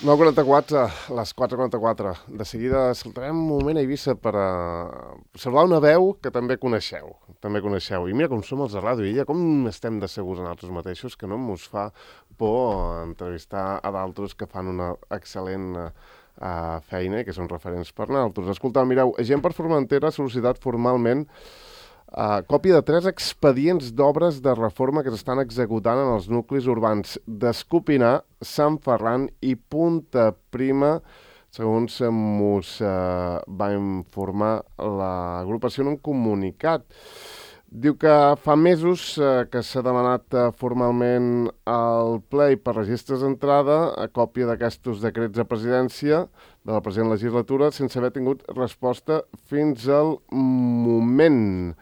9:44, les 4:44. De seguida saltarem un moment a Eivissa per saludar una veu que també coneixeu. I mira com som els de Ràdio Illa, com estem de segurs en nosaltres mateixos, que no mos fa por entrevistar a d'altres que fan una excel·lent feina i que són referents per nosaltres. Escolteu, mireu, Gent per Formentera ha sol·licitat formalment còpia de 3 expedients d'obres de reforma que s'estan executant en els nuclis urbans d'Escopinar, Sant Ferran i Punta Prima, segons mos va informar l'agrupació en un comunicat. Diu que fa mesos que s'ha demanat formalment al ple i per registres d'entrada a còpia d'aquests decrets de presidència de la present legislatura sense haver tingut resposta fins al moment.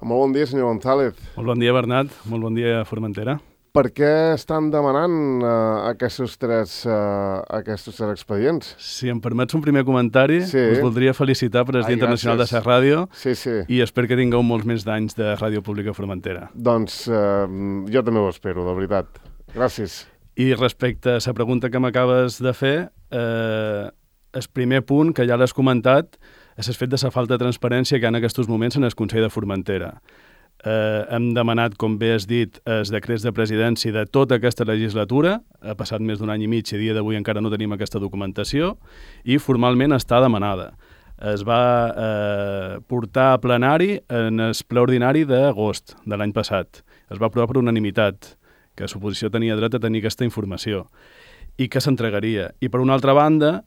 Molt bon dia, senyor González. Molt bon dia, Bernat. Molt bon dia, Formentera. Per què estan demanant aquests tres expedients? Si em permets un primer comentari, us voldria felicitar per el Dia Internacional de la Ràdio i espero que tingueu molts més d'anys de Ràdio Pública Formentera. Doncs jo també ho espero, de veritat. Gràcies. I respecte a la pregunta que m'acabes de fer, el primer punt, que ja l'has comentat, és el fet de la falta de transparència que hi ha en aquests moments en el Consell de Formentera. Hem demanat, com bé has dit, els decrets de presidència de tota aquesta legislatura. Ha passat més d'un any i mig i a dia d'avui encara no tenim aquesta documentació i formalment està demanada. Es va portar a plenari en el ple ordinari d'agost de l'any passat. Es va aprovar per unanimitat que l'oposició tenia dret a tenir aquesta informació i que s'entregaria. I per una altra banda,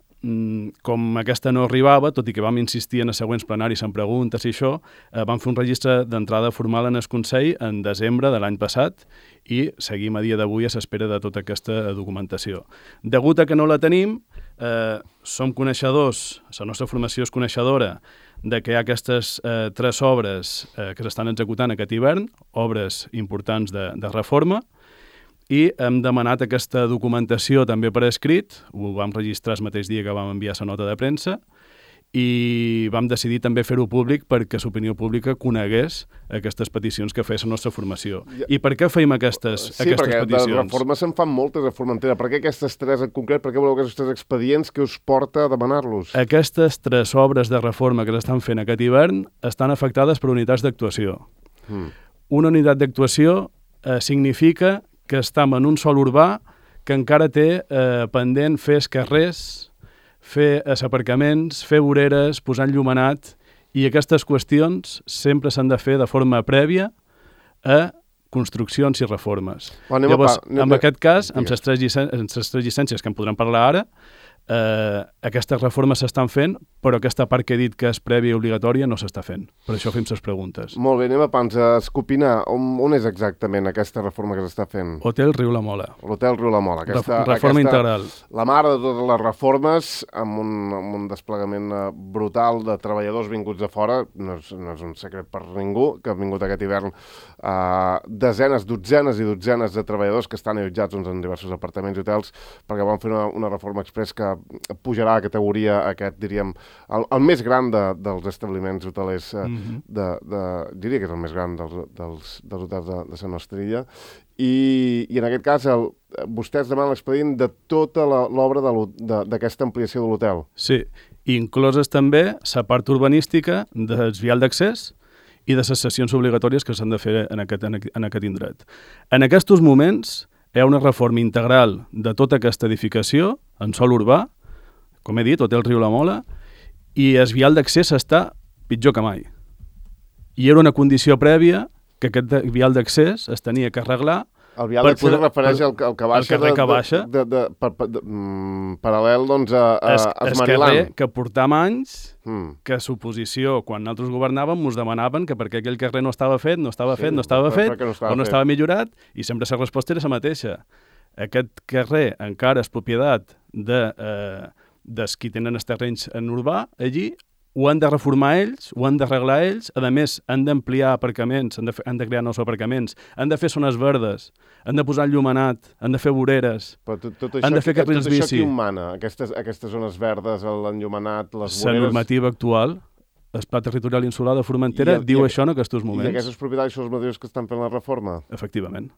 com aquesta no arribava, tot i que vam insistir en els següents plenaris en preguntes i això, vam fer un registre d'entrada formal en el Consell en desembre de l'any passat i seguim a dia d'avui a l'espera de tota aquesta documentació. Degut a que no la tenim, som coneixedors, la nostra formació és coneixedora de que hi ha aquestes 3 obres que s'estan executant aquest hivern, obres importants de reforma, i hem demanat aquesta documentació també per escrit, ho vam registrar el mateix dia que vam enviar la nota de premsa, i vam decidir també fer-ho públic perquè l'opinió pública conegués aquestes peticions que feia la nostra formació. I per què feim aquestes peticions? Sí, perquè de reformes se'n fan moltes a Formentera. Per què aquestes 3 en concret? Per què voleu aquests 3 expedients que us porta a demanar-los? Aquestes 3 obres de reforma que s'estan fent aquest hivern estan afectades per unitats d'actuació. Una unitat d'actuació significa que estem en un sòl urbà que encara té pendent fer els carrers, fer aparcaments, fer voreres, posar enllumenat, i aquestes qüestions sempre s'han de fer de forma prèvia a construccions i reformes. Llavors, en aquest cas, amb les 3 llicències que en podrem parlar ara, aquestes reformes s'estan fent, però aquesta part que he dit que és prèvia i obligatòria no s'està fent. Per això fem les preguntes. Molt bé, anem a pans. A Escopinar, on és exactament aquesta reforma que s'està fent? Hotel Riu la Mola. L'Hotel Riu la Mola. Reforma integral. La mare de totes les reformes, amb un desplegament brutal de treballadors vinguts de fora. No és un secret per ningú, que han vingut aquest hivern dotzenes i dotzenes de treballadors que estan allotjats en diversos apartaments i hotels, perquè van fer una reforma express que pujarà a categoria aquest, diríem, el més gran dels establiments hotelers, diria que és el més gran dels hotels de la nostra illa, i en aquest cas vostès demanen l'expedient de tota l'obra d'aquesta ampliació de l'hotel. Sí, incloses també la part urbanística del vial d'accés i de les sessions obligatòries que s'han de fer en aquest indret. En aquests moments hi ha una reforma integral de tota aquesta edificació en sòl urbà, com he dit, Hotel Riu la Mola, i el vial d'accés està pitjor que mai. I era una condició prèvia que aquest vial d'accés es tenia que arreglar. El vial d'accés es refereix al que baixa, paral·lel doncs, a Esmariland. El carrer que portam anys, que l'oposició, quan nosaltres governàvem, ens demanaven que perquè aquell carrer no estava fet, no estava millorat, i sempre la resposta era la mateixa. Aquest carrer encara és propietat dels qui tenen els terrenys en urbà, allí, ho han de reformar ells, ho han d'arreglar ells, a més han d'ampliar aparcaments, han de crear nous aparcaments, han de fer zones verdes, han de posar enllumenat, han de fer voreres, han de fer carrils bici. Tot això qui ho mana? Aquestes zones verdes, l'enllumenat, les voreres... La normativa actual, el Pla Territorial Insular de Formentera, diu això en aquests moments. I aquests propietaris són els mateixos que estan fent la reforma? Efectivament.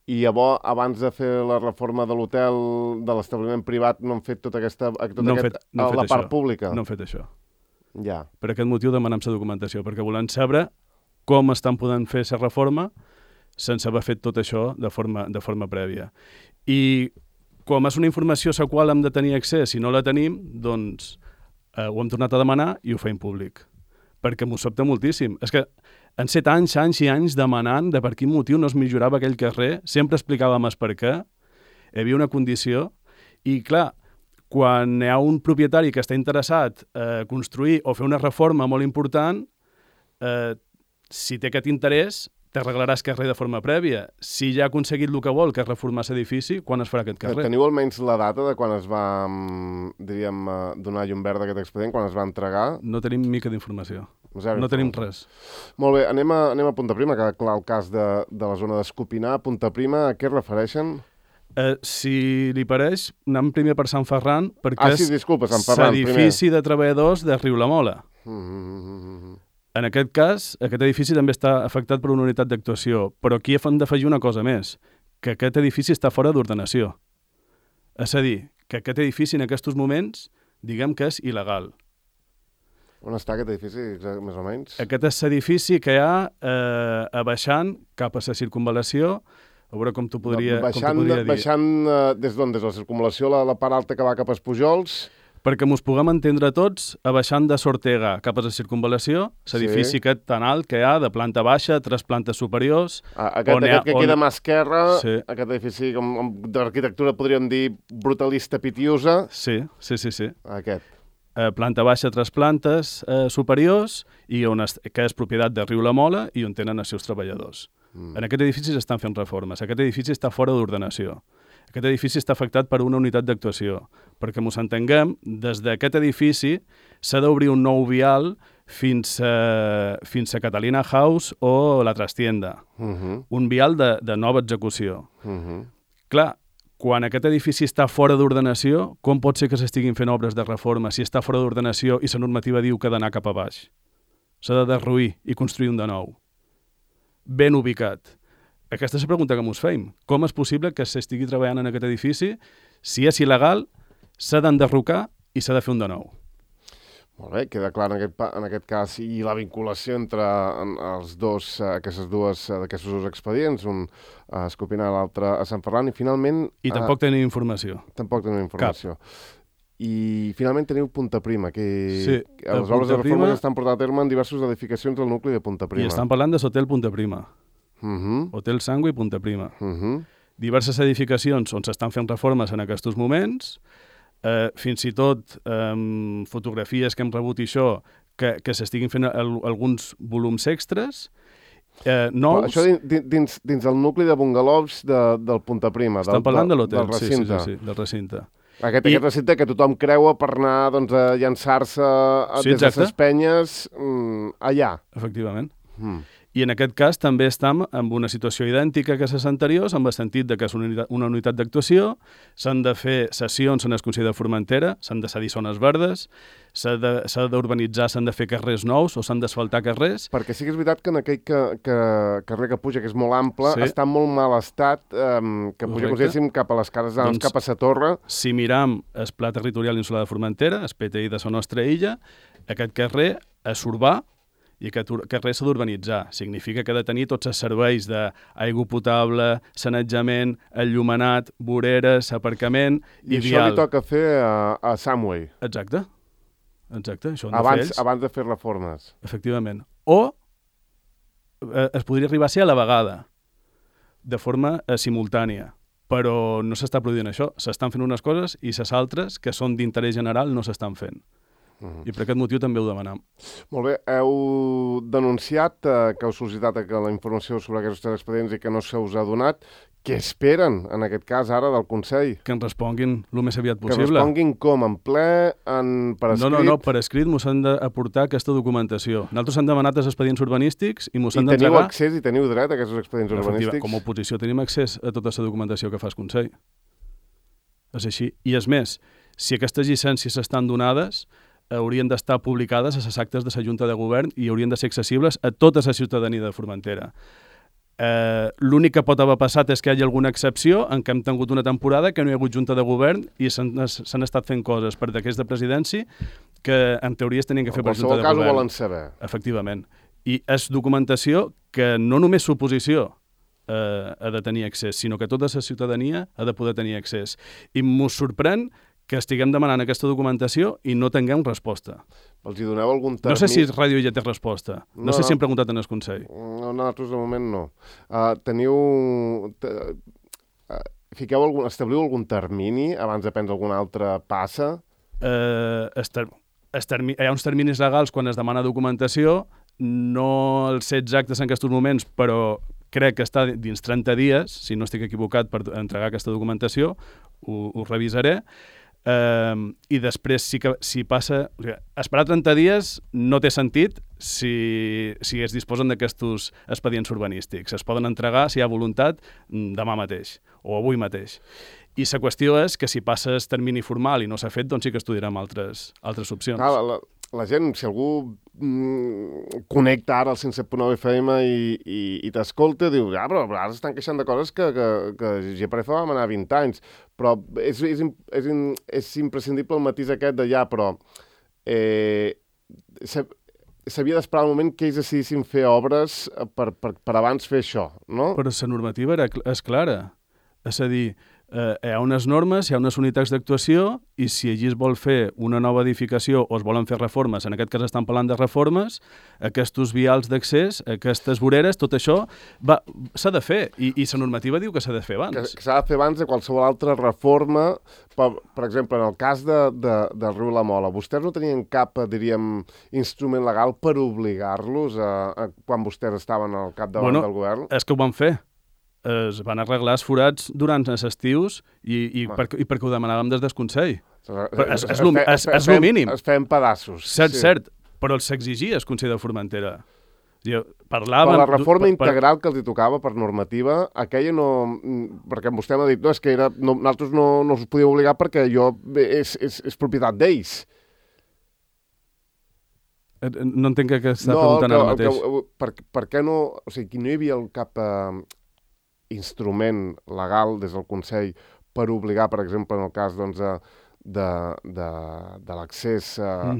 I llavors, abans de fer la reforma de l'hotel, de l'establiment privat, no han fet tota aquesta... la part pública? No han fet això. Ja. Per aquest motiu demanem la documentació, perquè volem saber com estan podent fer la reforma sense haver fet tot això de forma prèvia. I com és una informació a la qual hem de tenir accés, si no la tenim, doncs ho hem tornat a demanar i ho feim públic. Perquè m'ho sobta moltíssim. És que han set anys i anys demanant de per quin motiu no es millorava aquell carrer, sempre explicàvem el per què, hi havia una condició, i clar, quan hi ha un propietari que està interessat a construir o fer una reforma molt important, si té aquest interès, t'arreglaràs carrer de forma prèvia. Si ja ha aconseguit el que vol, que és reformar l'edifici, quan es farà aquest carrer? Teniu almenys la data de quan es va, diríem, donar llum verda a aquest expedient, quan es va entregar? No tenim mica d'informació. No tenim res. Molt bé, anem a Punta Prima, que clar, el cas de la zona d'Escopinar. Punta Prima, a què es refereixen? Si li pareix, anem primer per Sant Ferran, perquè sí, disculpa, Sant Ferran, l'edifici de treballadors de Riu-la-Mola. En aquest cas, aquest edifici també està afectat per una unitat d'actuació, però aquí hem d'afegir una cosa més, que aquest edifici està fora d'ordenació. És a dir, que aquest edifici en aquests moments, diguem que és il·legal. On està aquest edifici, més o menys? Aquest és l'edifici que hi ha baixant cap a la circunvalació, a veure com t'ho podria dir. Baixant des d'on? Des de la circunvalació, la part alta que va cap als Pujols? Perquè mos puguem entendre tots, baixant de Sortega cap a la circunvalació, l'edifici aquest tan alt que hi ha, de planta baixa, 3 plantes superiors... Aquest que queda a mà esquerra, aquest edifici d'arquitectura podríem dir brutalista pitiusa. Sí. Aquest. Planta baixa, 3 plantes superiors, i que és propietat de Riu-la-Mola i on tenen els seus treballadors. En aquest edifici s'estan fent reformes. Aquest edifici està fora d'ordenació. Aquest edifici està afectat per una unitat d'actuació. Perquè mos entenguem, des d'aquest edifici s'ha d'obrir un nou vial fins a Catalina House o la Trastienda. Un vial de nova execució. Clar, quan aquest edifici està fora d'ordenació, com pot ser que s'estiguin fent obres de reforma si està fora d'ordenació i la normativa diu que ha d'anar cap a baix? S'ha de derruir i construir un de nou. Ben ubicat. Aquesta és la pregunta que mos feim. Com és possible que s'estigui treballant en aquest edifici? Si és il·legal, s'ha d'enderrocar i s'ha de fer un de nou. Molt bé, queda clar en aquest cas i la vinculació entre aquests dos expedients, un a Escopinar, l'altre a Sant Ferran, i finalment... I tampoc tenim informació. Tampoc tenim informació. I finalment teniu Punta Prima, que les obres de reforma estan portant a terme en diverses edificacions del nucli de Punta Prima. I estan parlant de l'hotel Punta Prima. Hotel Sangui Punta Prima. Diverses edificacions on s'estan fent reformes en aquests moments, fins i tot fotografies que hem rebut i això, que s'estiguin fent alguns volums extras, nous... Això dins el nucli de bungalows del Punta Prima, estan parlant de l'hotel, del recinte. Sí, del recinte. Aquest recinte que tothom creua per anar a llançar-se des de les penyes allà. Efectivament. I en aquest cas també estem en una situació idèntica que les anteriors, en el sentit que és una unitat d'actuació, s'han de fer sessions en el Consell de Formentera, s'han de cedir zones verdes, s'ha d'urbanitzar, s'han de fer carrers nous o s'han d'asfaltar carrers. Perquè sí que és veritat que en aquell carrer que puja, que és molt ample, està en molt mal estat, que puja, com si diguéssim, cap a les cases, cap a la torre. Si miram el Pla Territorial Insular de Formentera, el PTI de la nostra illa, aquest carrer és urbà, i aquest carrer s'ha d'urbanitzar. Significa que ha de tenir tots els serveis d'aigua potable, sanejament, enllumenat, voreres, aparcament i vial. I això li toca fer a Samway. Exacte. Això han de fer ells. Abans de fer reformes. Efectivament. O es podria arribar a ser a la vegada, de forma simultània. Però no s'està produint això. S'estan fent unes coses i les altres, que són d'interès general, no s'estan fent. I per aquest motiu també ho demanem. Molt bé. Heu denunciat que heu sol·licitat la informació sobre aquests expedients i que no se us ha donat. Què esperen, en aquest cas, ara, del Consell? Que ens responguin el més aviat possible. Que responguin com? En ple? Per escrit? No, per escrit mos han d'aportar aquesta documentació. Nosaltres hem demanat els expedients urbanístics i mos han d'entregar... I teniu accés i teniu dret a aquests expedients urbanístics? Com a oposició tenim accés a tota la documentació que fa el Consell. És així. I és més, si aquestes llicències estan donades, haurien d'estar publicades a les actes de la Junta de Govern i haurien de ser accessibles a tota la ciutadania de Formentera. L'únic que pot haver passat és que hi hagi alguna excepció en què hem tingut una temporada que no hi ha hagut junta de govern i s'han estat fent coses per decrets de presidència que en teoria es tenien que fer per junta de govern. En qualsevol cas ho volen saber. Efectivament. I és documentació que no només l'oposició ha de tenir accés, sinó que tota la ciutadania ha de poder tenir accés. I m'ho sorprèn que estiguem demanant aquesta documentació i no tinguem resposta. Els hi doneu algun termini? No sé si Ràdio ja té resposta. No sé si hem preguntat en el Consell. No, nosaltres de moment no. Establiu algun termini abans de prendre alguna altra passa? Hi ha uns terminis legals quan es demana documentació, no els sé exactes en aquests moments, però crec que està dins 30 dies, si no estic equivocat, per entregar aquesta documentació, ho revisaré. I després si passa... Esperar 30 dies no té sentit si es disposen d'aquests expedients urbanístics. Es poden entregar, si hi ha voluntat, demà mateix o avui mateix. I la qüestió és que si passa el termini formal i no s'ha fet, doncs sí que estudiarem altres opcions. La gent, si algú connecta ara al 107.9 FM i t'escolta, diu, però ara s'estan queixant de coses que GPRF vam anar 20 anys. Però és imprescindible el matís aquest de però s'havia d'esperar el moment que ells decidissin fer obres per abans fer això, no? Però la normativa és clara. És a dir, hi ha unes normes, hi ha unes unitats d'actuació i si allí es vol fer una nova edificació o es volen fer reformes, en aquest cas estan parlant de reformes, aquests vials d'accés, aquestes voreres, tot això s'ha de fer i la normativa diu que s'ha de fer abans. Que s'ha de fer abans de qualsevol altra reforma. Per exemple, en el cas del riu La Mola, vostès no tenien cap, diríem, instrument legal per obligar-los quan vostès estaven al capdavant del govern? És que ho van fer. Es van arreglar els forats durant els estius i perquè ho demanàvem des del Consell. És el mínim. Es feien pedaços. Cert, però s'exigia el Consell de Formentera. Per la reforma integral que els hi tocava per normativa, aquella no... Perquè vostè m'ha dit, no, és que nosaltres no us podíem obligar perquè és propietat d'ells. No entenc que està preguntant ara mateix. Per què no... O sigui, no hi havia cap instrument legal des del Consell per obligar, per exemple, en el cas de l'accés a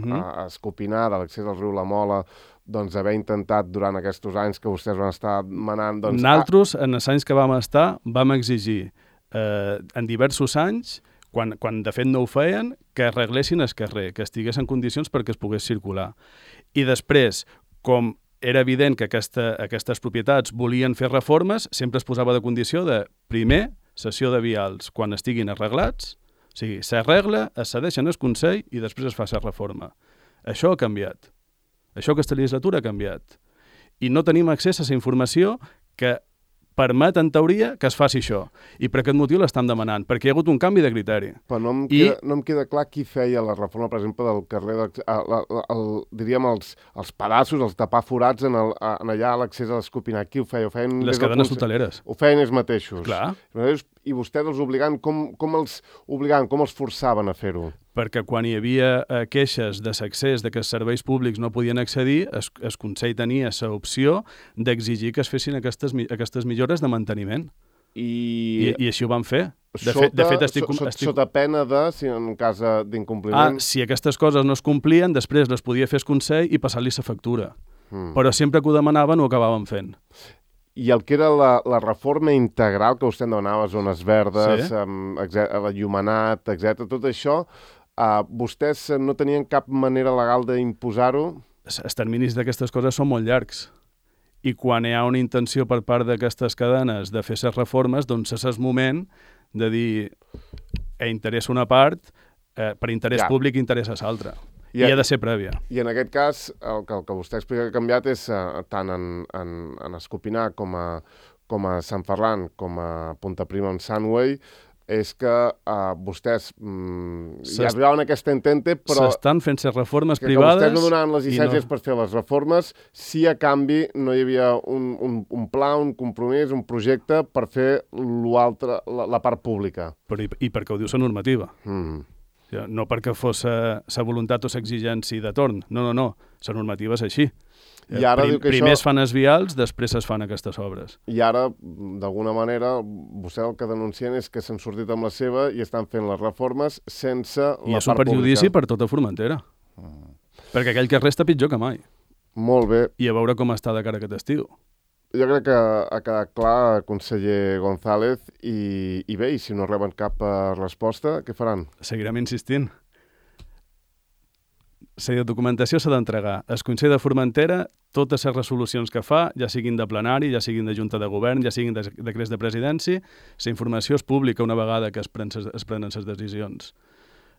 Escopinar, de l'accés al riu La Mola, doncs haver intentat durant aquests anys que vostès van estar manant... Nosaltres, en els anys que vam estar, vam exigir en diversos anys, quan de fet no ho feien, que arreglessin el carrer, que estigués en condicions perquè es pogués circular. I després, com era evident que aquestes propietats volien fer reformes, sempre es posava de condició de, primer, cessió de vials quan estiguin arreglats, o sigui, s'arregla, es cedeixen al Consell i després es fa la reforma. Això ha canviat. Això aquesta legislatura ha canviat. I no tenim accés a la informació que permet, en teoria, que es faci això. I per aquest motiu l'estan demanant, perquè hi ha hagut un canvi de criteri. Però no em queda clar qui feia la reforma, per exemple, del carrer, diríem, els pedaços, els tapar forats allà a l'accés a l'Escopinar. Qui ho feia? Les cadenes hoteleres. Ho feien ells mateixos. Clar. I vostès els obligant, com els forçaven a fer-ho? Perquè quan hi havia queixes de l'accés que els serveis públics no podien accedir, el Consell tenia l'opció d'exigir que es fessin aquestes millores de manteniment. I així ho van fer. Sota pena si en cas d'incompliment... Si aquestes coses no es complien, després les podia fer el Consell i passar-li la factura. Però sempre que ho demanaven ho acabaven fent. I el que era la reforma integral que vostè demanava, zones verdes, l'enllumenat, etc., tot això, vostès no tenien cap manera legal d'imposar-ho? Els terminis d'aquestes coses són molt llargs. I quan hi ha una intenció per part d'aquestes cadenes de fer les reformes, doncs és el moment de dir interessa una part, per interès públic interessa l'altra. I ha de ser prèvia. I en aquest cas, el que vostè explica que ha canviat és tant en Escopinar com a Sant Ferran, com a Punta Prima amb Sunway, és que vostès ja arribaven a aquesta entente, però... S'estan fent les reformes privades... Que vostès no donaven les llicències per fer les reformes, si a canvi no hi havia un pla, un compromís, un projecte per fer la part pública. I perquè ho diu la normativa. No perquè fos la voluntat o l'exigència de torn. No. La normativa és així. I ara diu que Primer això... es fan els vials, després es fan aquestes obres. I ara, d'alguna manera, vostè el que denuncien és que s'han sortit amb la seva i estan fent les reformes sense la part pública. I és un perjudici per tota Formentera. Perquè aquell carrer està pitjor que mai. Molt bé. I a veure com està de cara aquest estiu. Jo crec que ha quedat clar, conseller González, i bé, i si no reben cap resposta, què faran? Seguirem insistint. La documentació s'ha d'entregar. El Consell de Formentera, totes les resolucions que fa, ja siguin de plenari, ja siguin de Junta de Govern, ja siguin de decrets de presidència, la informació és pública una vegada que es prenen les decisions.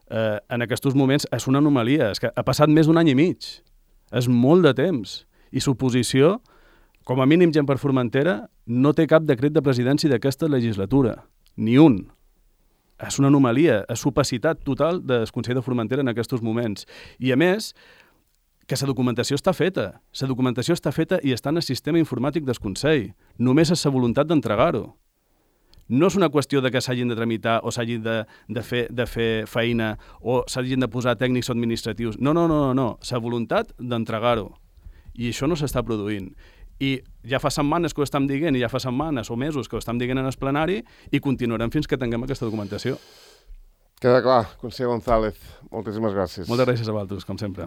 En aquests moments és una anomalia, és que ha passat més d'un any i mig. És molt de temps. I l'oposició, com a mínim gent per Formentera, no té cap decret de presidència d'aquesta legislatura. Ni un. És una anomalia, és opacitat total del Consell de Formentera en aquests moments. I a més, que la documentació està feta. La documentació està feta i està en el sistema informàtic del Consell. Només és la voluntat d'entregar-ho. No és una qüestió de que s'hagin de tramitar o s'hagin de fer feina o s'hagin de posar tècnics o administratius. No. La voluntat d'entregar-ho. I això no s'està produint. I ja fa setmanes que ho estem dient i ja fa setmanes o mesos que ho estem dient en el plenari i continuarem fins que tinguem aquesta documentació. Queda clar, conseller González. Moltíssimes gràcies. Moltes gràcies a vosaltres, com sempre.